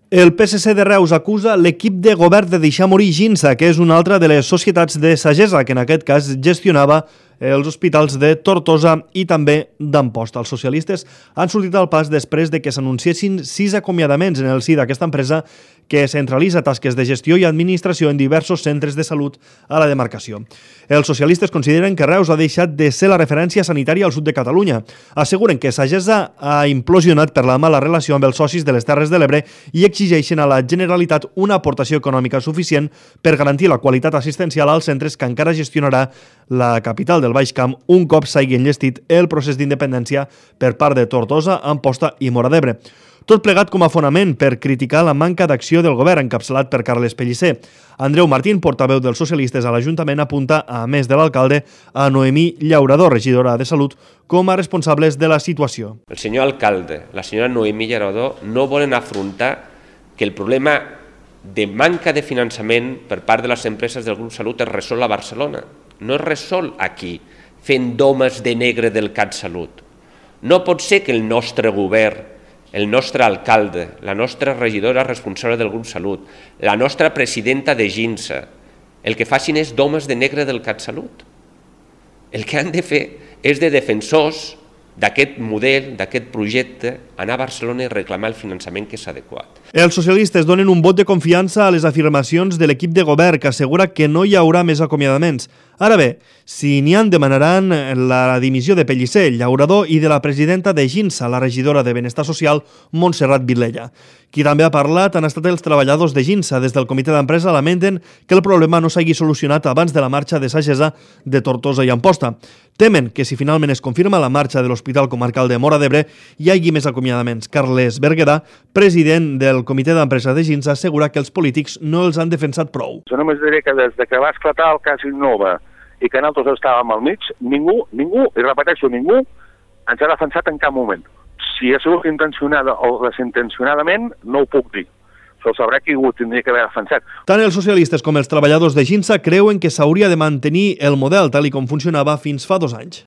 El PSC de Reus acusa l'equip de govern de deixar morir Ginsa, que és una altra de les societats de sagessa que en aquest cas gestionava els hospitals de Tortosa i també d'Amposta. Els socialistes han sortit al pas després de que s'anunciessin 6 acomiadaments en el si d'aquesta empresa que centralitza tasques de gestió i administració en diversos centres de salut a la demarcació. Els socialistes consideren que Reus ha deixat de ser la referència sanitària al sud de Catalunya. Asseguren que Sagessa ha implosionat per la mala relació amb els socis de les Terres de l'Ebre i exigeixen a la Generalitat una aportació econòmica suficient per garantir la qualitat assistencial als centres que encara gestionarà la capital del Baix Camp un cop s'hagi enllestit el procés d'independència per part de Tortosa, Amposta i Móra d'Ebre. Tot plegat com a fonament per criticar la manca d'acció del govern encapçalat per Carles Pellicer. Andreu Martín, portaveu dels socialistes a l'Ajuntament, apunta, a més de l'alcalde, a Noemí Llaurador, regidora de Salut, com a responsables de la situació. El senyor alcalde, la senyora Noemí Llaurador, no volen afrontar que el problema de manca de finançament per part de les empreses del grup Salut es resol a Barcelona. No es resol aquí, fent domes de negre del CatSalut. No pot ser que el nostre govern, el nostre alcalde, la nostra regidora responsable del grup Salut, la nostra presidenta de Ginsa, el que facin és domes de negre del CatSalut. El que han de fer és de defensors d'aquest model, d'aquest projecte, anar a Barcelona i reclamar el finançament que és adequat. Els socialistes donen un vot de confiança a les afirmacions de l'equip de govern que assegura que no hi haurà més acomiadaments. Ara bé, si n'hi han, demanaran la dimissió de Pellicer, Llaurador i de la presidenta de Ginsa, la regidora de Benestar Social, Montserrat Vilella. Qui també ha parlat han estat els treballadors de Ginsa. Des del comitè d'empresa lamenten que el problema no s'hagi solucionat abans de la marxa de Sagessa de Tortosa i Amposta. Temen que si finalment es confirma la marxa de l'Hospital Comarcal de Móra d'Ebre hi hagi més acomiadaments. Carles Berguedà, president del comitè d'empresa de Ginsa, assegura que els polítics no els han defensat prou. Jo només diré que des que va esclatar el cas Innova i que nosaltres estàvem al mig, ningú, i repeteixo, ningú ens ha defensat en cap moment. Si ha sigut intencionada o desintencionadament, no ho puc dir. Això ho sabrà qui ho tindria que haver defensat. Tant els socialistes com els treballadors de Ginsa creuen que s'hauria de mantenir el model tal com funcionava fins fa 2 anys.